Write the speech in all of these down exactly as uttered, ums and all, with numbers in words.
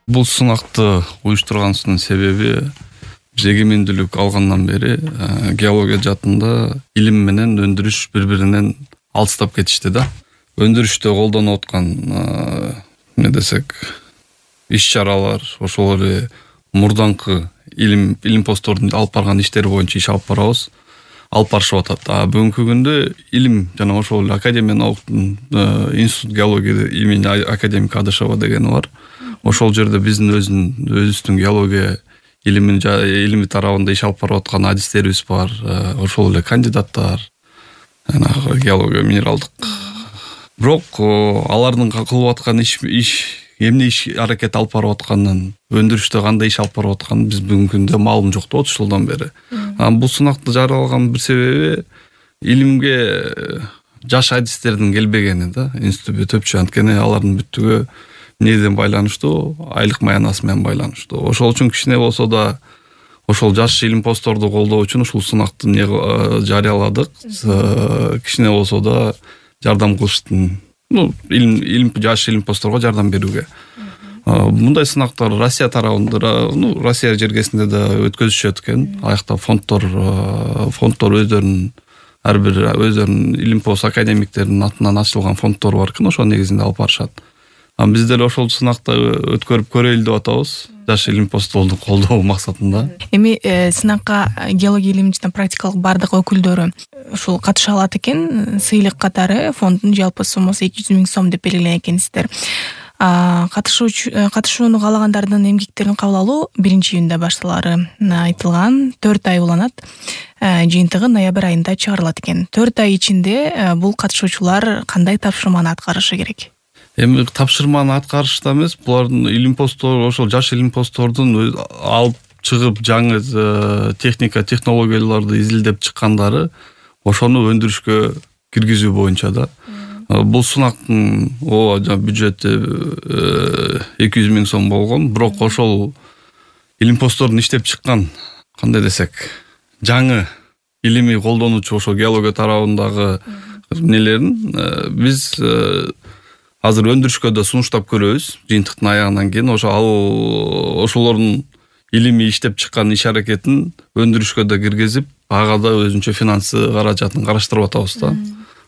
Бул сынакты уюштурганыбыздын себеби биз эгемендүүлүк алгандан бери геология жаатында илим менен өндүрүш бири-биринен алыстап кетишти да. Өндүрүштө колдонуп аткан эмне десек иш-чаралар, ошол эле мурдаңкы илим илимпоздордун алып барган иштери боюнча иш алып барабыз. Алып барышып атат. А бүгүнкү күндө илим жана ошол эле Академия науктун институт геология имени академик Адышева дегени бар. Ошол жерде биздин өзүнүн өзүбүздүн геология илимин илими тарабында иш алып барып аткан адистерибиз бар. Ошол эле кандидаттар, жанагы геология минералдык. Бирок алардын кылып аткан иш иш эмне иш аракет алып барып атканын, өндүрүштө кандай иш алып барып атканын биз бүгүнкү күндө маалым жок да, отуз жылдан бери. Бул сынакты жарыялаган бир себеби илимге жаш адистердин келбегени да, институтта төпчү, анткени алардын бүттүгү эмнеден байланыштуу, айлык маянасы менен байланыштуу. Ошол үчүн кичине болсо да ошол жаш илимпоздорду колдоо үчүн ушул сынакты жарыяладык. Кичине болсо да жардам кылыштын, ну, илим илим жаш илимпоздорго жардам берүүгө. Мындай сынактар Россия тарабында, ну, Россия жергесинде да өткөзүшөт экен. Аякта фонддор, фонддор өздөрүнүн ар бир өздөрүнүн илимпоз академиктеринин атынан ачылган фонддор бар экен, ошол негизинде алып барышат. А биз деле ошол сынакты өткөрүп көрөлү деп атабыз, жаш илимпоздорду колдоо максатында. Эми сынакка геология илими жана практикалык бардык өкүлдөрү ушул катыша алат экен. Сыйлык катары фонддун жалпы соммосу эки жүз миң сом деп белгиленген экенсиздер. Катышуучу катышууну каалагандардын эмгектерин кабыл алуу биринчи июнда башталары айтылган. төрт ай уланат. Жыйынтыгы ноябрь айында чыгарылат экен. төрт ай ичинде бул катышуучулар кандай тапшырманы аткарышы керек? Эми тапшырманы аткарышта эмес, булардын илимпоздор, ошол жаш илимпоздордун алып чыгып жаңы техника, технологияларды изилдеп чыккандары ошону өндүрүшкө киргизүү боюнча да. Бул сынактын бюджети эки жүз миң сом болгон, бирок ошол илимпоздордун иштеп чыккан, кандай десек, жаңы илимий колдонуучу ошол геология тарабындагы эмнелерин биз азыр өндүрүшкө да сунуштап көрөбүз. Жыйынтыктын аягынан кийин ошо ал ошолордун илимий иштеп чыккан иш аракетин өндүрүшкө да киргизип, ага да өзүнчө финансы каражатын караштырып атабыз да.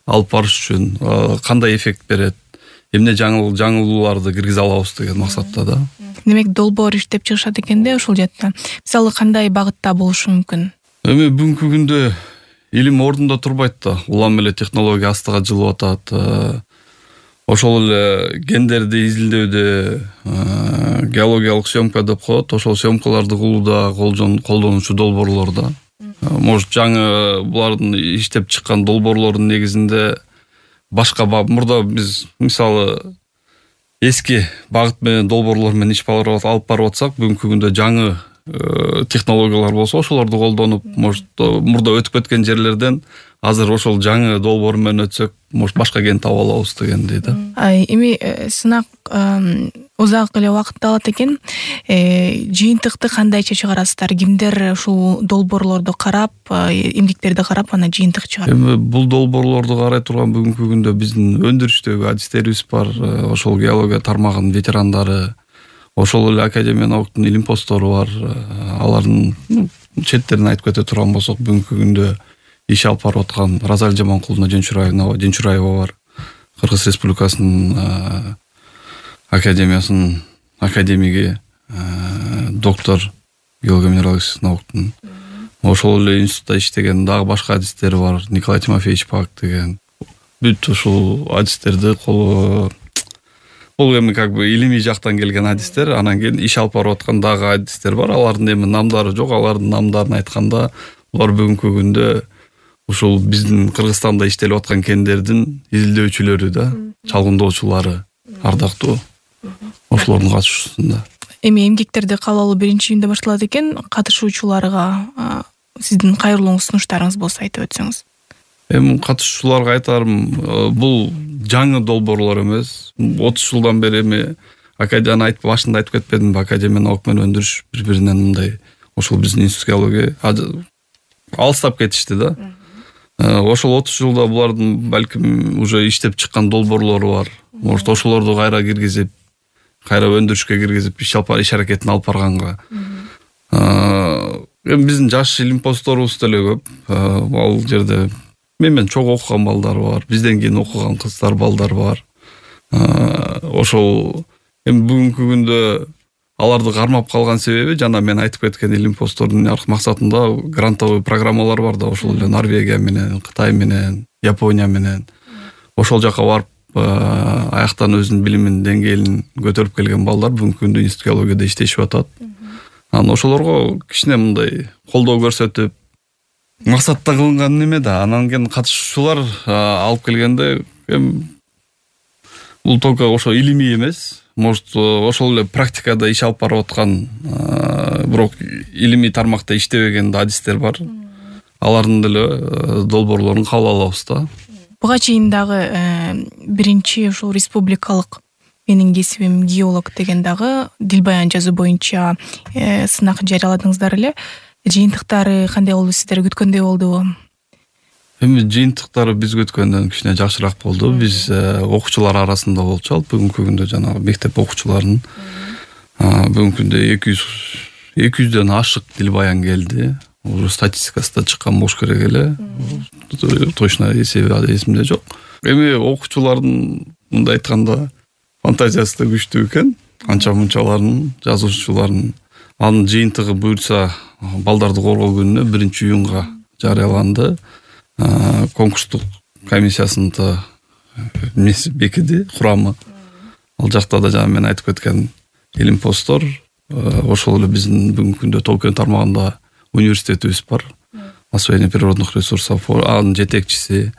Алып барыш үчүн кандай эффект берет, эмне жаңыл жаңылууларды киргизе алабыз деген максатта да. Демек долбоор иштеп чыгышат экен да ошол жакта. Мисалы кандай багытта болушу мүмкүн? Эми бүгүнкү күндө илим ордунда турбайт да. Улам эле технология астыга жылып атат. Ошол эле гендерди изилдөөдө геологиялык съемка деп коет. Ошол съемкаларды кылууда колдонуучу долбоорлор да. Может, жаңы булардын иштеп чыккан долбоорлордун негизинде башка мурда биз мисалы эски багыт менен долбоорлор менен иш алып барып атсак, бүгүнкү күндө жаңы технологиялар болсо ошолорду колдонуп, может, мурда өтүп кеткен жерлерден азыр ошол жаңы долбоор менен өтсөк, может, башка ген таба алабыз дегендей да. Эми сынак узак эле убакытты алат экен. Жыйынтыкты кандайча чыгарасыздар? Кимдер ушул долбоорлорду карап, эмгектерди карап, ана жыйынтык чыгарат? Эми бул долбоорлорду карай турган бүгүнкү күндө биздин өндүрүштөгү адистерибиз бар, ошол геология тармагынын ветерандары, ошол эле Академия науктун илимпоздору бар. Алардын четтерин айтып кете турган болсок, бүгүнкү күндө иш алып барып аткан Разаль Жаманкуловна Женчураева, Женчураева бар. Кыргыз Республикасынын академиясынын академиги, доктор геология минералдык науктун. Ошол эле институтта иштеген дагы башка адистер бар. Николай Тимофеевич Пак деген. Бүт ушул адистерди колу бул эми как бы илимий жактан келген адистер, анан кийин иш алып барып аткан дагы адистер бар. Алардын эми намдары жок, алардын намдарын айтканда, булар бүгүнкү күндө ушул биздин Кыргызстанда иштелип аткан кендердин изилдөөчүлөрү да, чалгындоочулары ардактуу. Ошолордун катышуусунда. Эми эмгектерди кабыл алуу биринчи июнда башталат экен. Катышуучуларга сиздин кайрылууңуз, сунуштарыңыз болсо айтып өтсөңүз. Эми катышуучуларга айтарым, бул жаңы долбоорлор эмес. отуз жылдан бери эми академияны айтып башында айтып кетпедимби, Академия наук менен өндүрүш бири-биринен мындай ошол биздин институт геология алыстап кетишти да. Ошол отуз жылда булардын балким уже иштеп чыккан долбоорлору бар. Может, ошолорду кайра киргизип, кайра өндүрүшкө киргизип иш алып иш аракетин алып барганга. Эми биздин жаш илимпоздорубуз деле көп. Ал жерде мен менен чогуу окуган балдар бар, бизден кийин окуган кыздар, балдар бар. Ошол эми бүгүнкү күндө аларды кармап калган себеби жана мен айтып кеткен илимпоздордун аркы максатында грантовый программалар бар да, ошол эле Норвегия менен, Кытай менен, Япония менен. Ошол жака барып, аяктан өзүнүн билимин деңгээлин көтөрүп келген балдар бүгүнкү күндө институт геологияда иштешип атат. Анан ошолорго кичине мындай колдоо көрсөтүп, максатта кылынган неме да. Анан кийин катышуучулар алып келгенде эми бул только ошо илимий эмес, может ошол эле практикада иш алып барып аткан, бирок илимий тармакта иштебеген да адистер бар. Алардын деле долбоорлорун кабыл алабыз да. Буга чейин дагы биринчи ушул республикалык менин кесибим геолог деген дагы дилбаян жазуу боюнча сынак жарыяладыңыздар эле. Жыйынтыктары кандай болду, сиздер күткөндөй болдубу? Эми жыйынтыктары биз көткөндөн кичине жакшыраак болду. Биз окуучулар арасында болчу ал бүгүнкү күндө жанагы мектеп окуучуларынын бүгүнкү күндө эки жүздөн ашык дилбаян келди. Уже статистикасы да чыккан болуш керек эле. Точно эсеби эсимде жок. Эми окуучулардын мындай айтканда фантазиясы да күчтүү экен. Анча мынчалардын, жазуучулардын анын жыйынтыгы буюрса балдарды коргоо күнүнө биринчи июнга жарыяланды. Конкурстук комиссиясында бекиди курамы. Ал жакта да жана мен айтып кеткен илимпоздор, ошол эле биздин бүгүнкү күндө Токио тармагында университетибиз бар. Освоение природных ресурсов, анын жетекчиси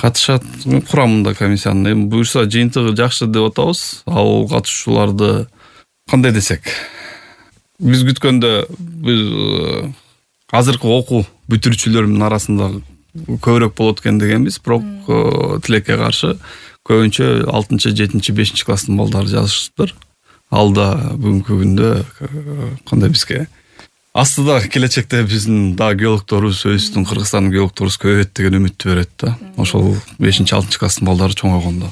катышат курамында комиссиянын. Эми буюрса жыйынтыгы жакшы деп атабыз. Ал катышуучуларды кандай десек, биз күткөндө биз азыркы окуу бүтүрүүчүлөрүнүн арасында көбүрөөк болот экен дегенбиз, бирок тилекке каршы көбүнчө алтынчы, жетинчи, бешинчи класстын балдары жазышыптыр. Ал да бүгүнкү күндө кандай бизге астыда келечекте биздин да геологторубуз, өзүбүздүн Кыргызстандын геологторубуз көбөйөт деген үмүттү берет да. Ошол бешинчи, алтынчы класстын балдары чоңойгондо.